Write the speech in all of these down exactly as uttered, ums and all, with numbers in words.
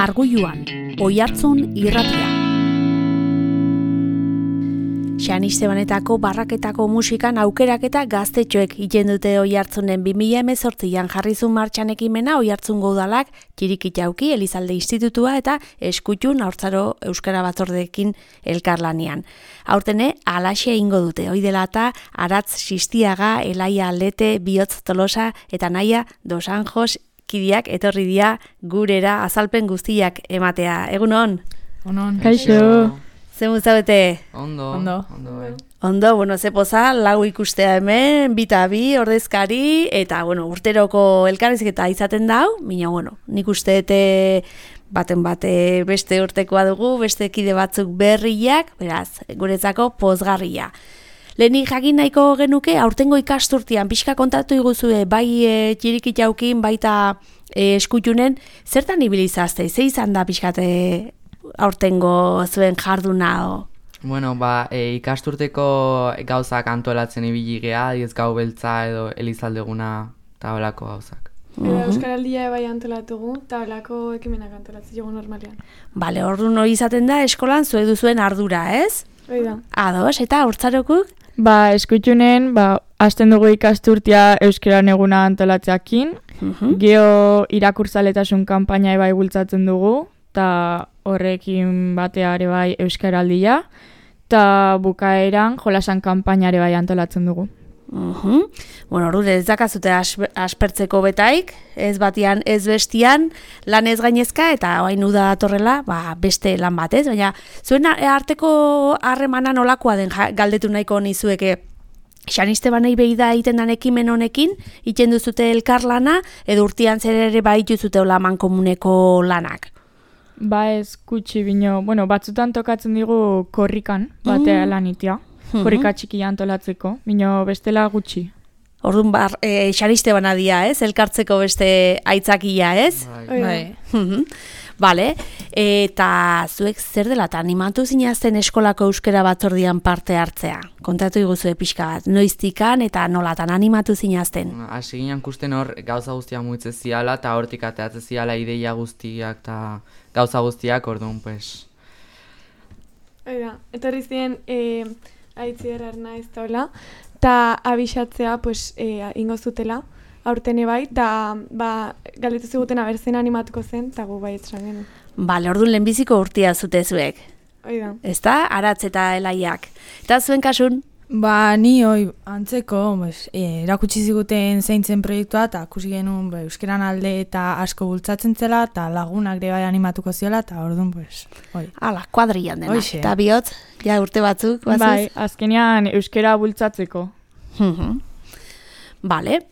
Arguluan, Oihartzun irratia. Xanistebanetako barraketako musikan aukeraketa gaztetxoek iten dute Oihartzunen bi mila hemezortzian jarrizun martxan ekimena Oihartzungo udalak, Txirikitauki, Elizalde Institutua eta Eskutxun Haurtzaro Euskara Batzordeekin elkarlanian. Aurtene, alaxe egingo dute, hoi dela eta Aratz Sistiaga, Elaia Aldete, Bihotz Tolosa eta Naia Dos Anjos kidiak etorri dira gurera azalpen guztiak ematea. Egun hon? Onon. Kaixo. Zer muzabete? Ondo. Ondo. Ondo, bai. Ondo, bueno, ze poza, lau ikustea hemen, bita bi, ordezkari, eta, bueno, urteroko elkarrizketa izaten dau, mina, bueno, nik uste dute baten bate beste urtekoa dugu, beste kide batzuk berriak, beraz, guretzako pozgarria. Lehenik jakin nahiko genuke, aurtengo ikasturtian, pixka kontatu iguzue, bai e, Txirikitaukin, baita e, Eskutxunen, zertan ibilizazte, ze izan da pixkate aurtengo zuen jarduna o? Bueno, ba, e, ikasturteko gauzak antolatzen ibili gea, diez gau beltza edo Elizaldeguna eta holako gauzak. Eta Euskaraldia bai antolatugu, eta holako ekimenak antolatzen dugu normalean. Bale, orduan hori izaten da eskolan zuek duzuen ardura, ez? Hoi da. Ados, eta Haurtzarokuk? Ba, Eskutxunen, ba, hasten dugu ikasturtia Euskaran eguna antolatzeakin, Uh-huh. geo irakurtzaletasun kanpaina bai bultzatzen dugu, eta horrekin batea ere bai Euskaraldia, eta bukaeran jolasan kanpaina ere bai antolatzen dugu. Uh-huh. Bueno, orduan ez dakazute aspe- aspertzeko betaik, ez batian, ez bestian, lan ez gainezka, eta oain uda datorrela, ba, beste lan bat, ez? Baina, zuen arteko harremana nolakoa den ja, galdetu nahiko nizueke, Xanistebanei behi da egiten dan ekimen honekin, iten duzute elkarlana, edo urtian zer ere baitu zute hola mankomuneko lanak. Ba ez gutxi bino, bueno, batzutan tokatzen digu korrikan, batea lan itia, korrika txikia antolatzeko, bino bestela gutxi. Orduan, bar, e, Xanistebana dia, ez? Elkartzeko beste aitzakia, ez? Bai. Bai. Mhm. Vale, eta zuek zer dela eta animatu zinazten eskolako euskara batzordian parte hartzea? Kontatu iguzue pixka bat, noiztikan eta nolatan animatu zinazten? Hasi ginen kusten hor gauza guztiak muitzen ziala, eta hortik ateatzen ziala ideia guztiak eta gauza guztiak, orduan, pues... Hoi da. Etorri ziren e, aitzier arnaiz taula, eta abixatzea, pues, e, ingo zutela, aurtene bai, eta ba, galdetu ziguten abertzen animatuko zen, eta gu bai etxan genuen. Bale, orduan lehenbiziko urtia zute zuek, Hoi da. ezta? Aratz eta Elaiak. Eta zuen kasun? Ba, ni hoi antzeko, pues, e, erakutsi ziguten zeintzen proiektua, eta ikusi genuen ba, euskeran alde eta asko bultzatzen zela, eta lagunak ere bai animatuko ziola, eta orduan, pues, hoi. Ala, kuadrillan denak. Hoxe. Eta bihotz, ja urte batzuk, bazuz? Bai, azkenean euskara bultzatzeko. Mhm. Bale.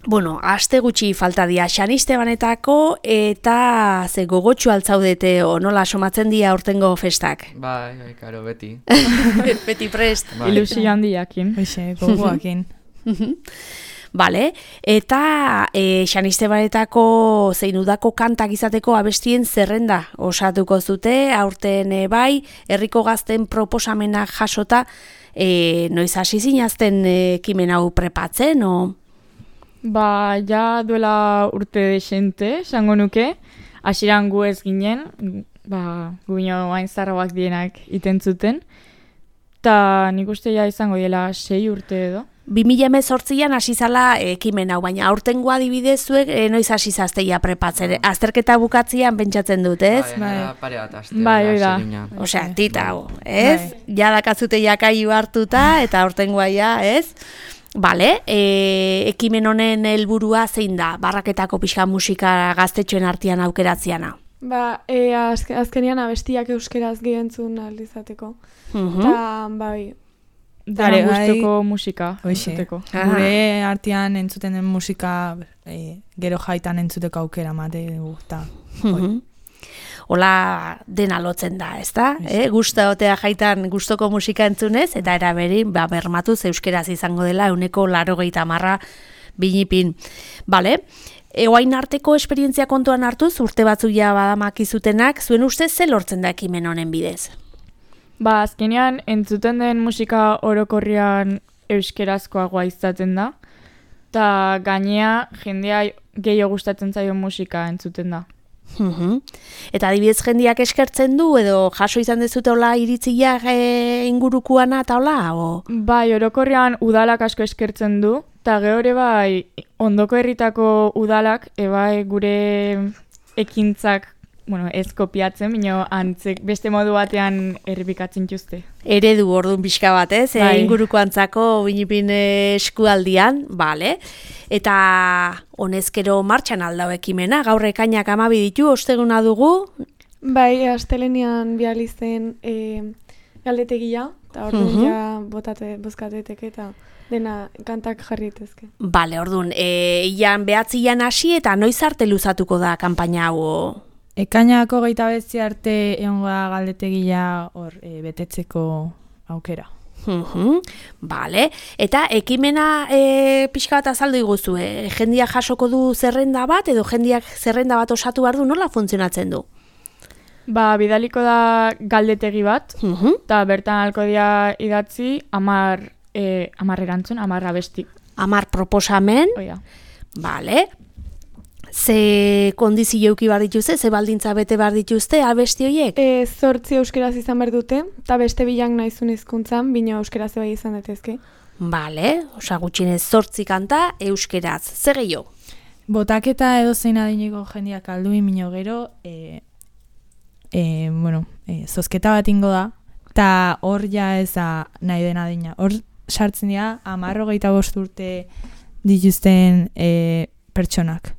Bueno, aste gutxi falta dia Xanistebanetako eta ze gogotxu altzaudete o nola somatzen dia aurtengo festak. Bai, bai, karo, beti. Beti prest. Bai. Ilusio handiakin. Hoxe, gogoakin. Bale, eta e, Xanistebanetako zein udako kantak izateko abestien zerrenda osatuko zute, aurten e, bai, herriko gazten proposamenak jasota, e, noiz hasi zinazten e, ekimen hau prepatzen, o... Ba, ja duela urte desente, esango nuke, hasieran gu ez ginen, ba, guino hain zarroak dienak iten zuten, eta nik uste ja izango dela sei urte edo. bi mila hemezortzian hasi zala ekimen hau, baina aurtengo adibidez zuek e, noiz hasi zazteia prepatzen. Azterketa bukatzian pentsatzen dut, ez? Bai, bai. Pare bat aste. Bai, hoi da. hasi ginen. Osea, tita hau, ez? Ja dakazute jakaiu hartuta eta aurtengoa ja, ez? Bale, e, ekimen honen helburua zein da? Barraketako pixka musika gaztetxoen artean aukeratziana. Ba, e, azke, azkenean abestiak euskeraz gehientzun aldizateko. Mhm. Eta, bai, Dara Bai, guztoko musika. Hoxe. entzuteko. Gure artean entzuten den musika e, gero jaitan entzuteko aukera mate dugu, eta Mhm. Hola dena lotzen da, ezta? Eh, gusta otea jaitan gustoko musika entzunez, eta eraberin, ba, bermatuz euskeraz izango dela, euneko laurogeita hamarra binipin. Bale, eoain arteko esperientzia kontuan hartuz, urte batzuk ja badamakizutenak, zuen ustez ze lortzen da ekimen honen bidez? Ba, azkenean entzuten den musika orokorrian euskerazkoagoa izaten da, eta gainea jendea gehiago gustatzen zaio musika entzuten da. Mhm. Eta adibidez jendiak eskertzen du edo jaso izan dezute hola iritziak e, ingurukuana eta hola? O? Bai, orokorrean udalak asko eskertzen du, eta gehore bai ondoko herritako udalak ebai gure ekintzak, bueno, ez kopiatzen, bino antzek beste modu batean errepikatzen juzte. Eredu orduan pixka bat, ez? Bai. E, inguruko antzako binipin eskualdian, bale. Eta honezkero martxan aldau ekimena, gaur ekainak amabi ditu, osteguna dugu. Bai, astelenean bializen e, galdetegia, eta orduan Mhm. ja botate, bozkateteke eta dena kantak jarritezke. Bale, orduan, e, ian behatzian hasi eta noiz arte luzatuko da kanpaina hau? Ekainako geita betzi arte egongo da galdetegia hor e, betetzeko aukera. Mhm, bale, eta ekimena e, pixka bat azaldu iguzu, e, jendiak jasoko du zerrenda bat, edo jendiak zerrenda bat osatu behar du, nola funtzionatzen du? Ba, bidaliko da galdetegi bat, Mhm, eta bertan alko dia idatzi amar, e, amar erantzun, amar abesti. Amar proposamen, Oia. bale, ze kondizio euki behar dituzte, ze baldintza bete behar dituzte, abesti horiek? E, zortzi euskeraz izan behar dute, eta beste bilang nahizun hizkuntzan, bino euskeraz bai izan daitezke. Bale, osa gutxinez zortzi kanta, euskeraz, zer gehiago? Botaketa edo zein adineko jendiak alduin mino gero, e, e, bueno, e, zozketa bat ingo da, eta hor ja ez da nahi den adina. Hor sartzen dira, amarro geita bost urte dituzten e, pertsonak.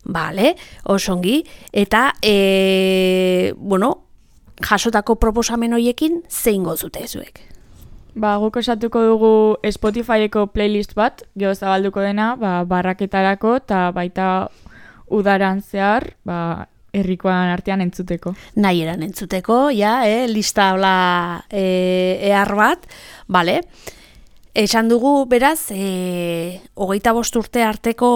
Bale, osongi, eta, e, bueno, jasotako proposamen horiekin zein gozute zuek? Ba, guk osatuko dugu Spotifyeko playlist bat, geho zabalduko dena, ba, barraketarako, eta baita udaran zehar, ba, herrikoan artean entzuteko. Nahi eran entzuteko, ja, eh, lista hola e, ehar bat, bale. Esan dugu, beraz, e, hogeita bost urte arteko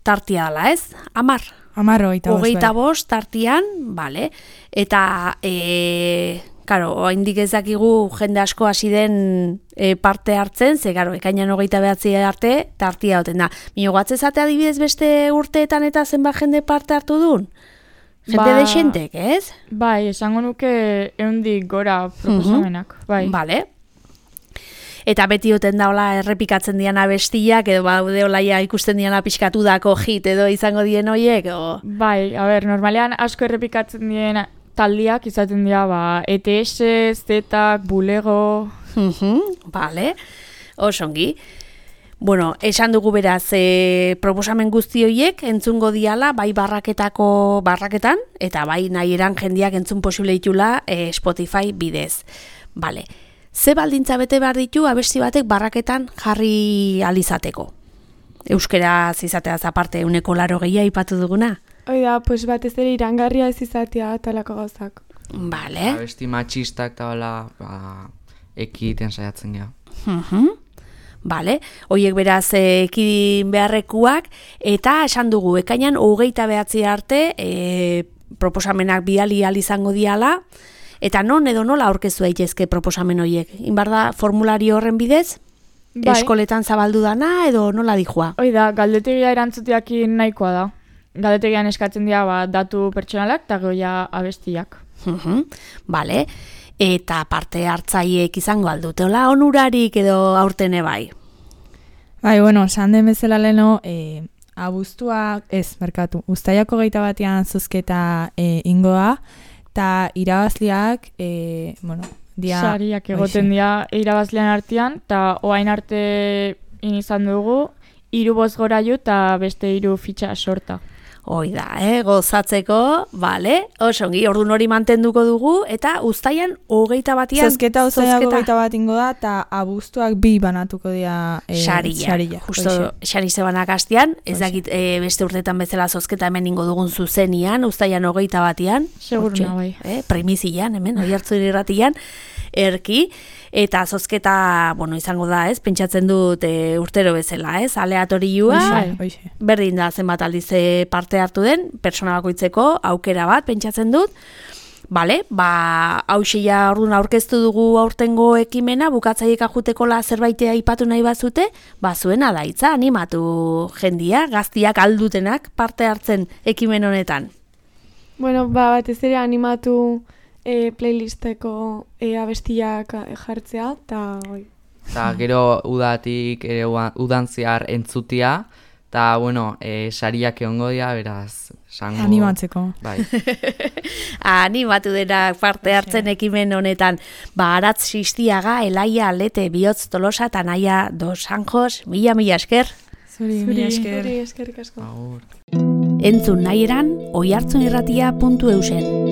tartia dela, ez? Amar. Amarro geita bost. Hogeita bai. bost tartian, bale. Eta, e, karo, oraindik ez dakigu jende asko hasi den e, parte hartzen, ze, karo, ekainan hogeita behatzi arte tartia hoten da. Mino gatzezate adibidez beste urteetan eta zenbat jende parte hartu duen? Jende Ba- deixentek, ez? Bai, esango nuke eundik gora proposamenak. Bai. Bale. Eta beti oten da hola errepikatzen dian abestiak, edo baude olaia ikusten diana pixkatu dako hit edo izango dien hoiek, o... Bai, a ber, normalean asko errepikatzen dien taldiak izaten dira, ba, E T S, Zetak, Bulego... Mhm, bale, osongi. Bueno, esan dugu beraz, e, proposamen guzti horiek entzungo diala, bai barraketako barraketan, eta bai nahi eran jendiak entzun posible ditula e, Spotify bidez. Bale, ze baldintza bete behar ditu abesti batek barraketan jarri alizateko? Euskeraz izateaz aparte uneko laro gehiago ipatu duguna? Hoi da, pues batez ere irangarria ez izatea talako gauzak. Bale. Abesti matxistak eta hola, ba, ekiten saiatzen gara. Mhm. Bale, hoiek beraz eh, ekidin beharrekuak, eta esan dugu, ekainan hogeita behatzi arte e, proposamenak bidali ahal izango diala, eta non edo nola aurkeztu daitezke proposamen horiek? Inbar da formulario horren bidez? Bai. Eskoletan zabaldu dana edo nola dijoa? Hoi da, galdetegia erantzuteakin nahikoa da. Galdetegian eskatzen dira ba, datu pertsonalak eta goia abestiak. Mhm, Bale, eta parte hartzaileek izango alduteola onurarik edo aurtene bai? Bai, bueno, esan den bezala leno, e, abuztua, ez, merkatu, uztailako geita batean zozketa e, ingoa, eta irabazliak, e, bueno, dia... Sariak egoten dira irabazlean artean, eta oain arte izan dugu, hiru bost gorailu eta beste hiru fitxa sorta. Hoi da, eh, gozatzeko, bale, osongi, ordun hori mantenduko dugu, eta uztaian hogeita batian Zozketa uztailako geita bat ingo da, eta abuztuak bi banatuko dira e, Saria, saria. justo Hoxe. sari zebanak hastian, ez Hoxe. dakit e, beste urtetan bezala zozketa hemen ingo dugun zuzenian, uztaian hogeita batian, Seguru hortxe, nago, bai. eh, primizian, hemen, oihartzun irratian, erki, eta zozketa, bueno, izango da, ez, pentsatzen dut e, urtero bezala, ez, aleatorioa, Hoxe, hoxe. berdin da zenbat aldiz e, parte hartu den, pertsona bakoitzeko aukera bat pentsatzen dut. Bale, ba, hauxe ja orduan aurkeztu dugu aurtengo ekimena, bukatzaiek ajutekola zerbaitea aipatu nahi bazute, ba, zuena da hitza, animatu jendia, gaztiak aldutenak parte hartzen ekimen honetan. Bueno, ba, batez ere animatu e, playlisteko e, abestiak jartzea, eta oi. Eta gero udatik ere udan zehar entzutia, eta, bueno, e, sariak egongo dira, beraz, sango... Animatzeko. Bai. Animatu dena parte hartzen ekimen honetan. Ba, Aratz Sistiaga, Elaia Alete, Bihotz Tolosa, eta Naia Dos Anjos, mila mila esker. Zuri, mila esker. Zuri, eskerrik asko. Agur. Entzun nahi eran, oihartzunirratia puntu eusen.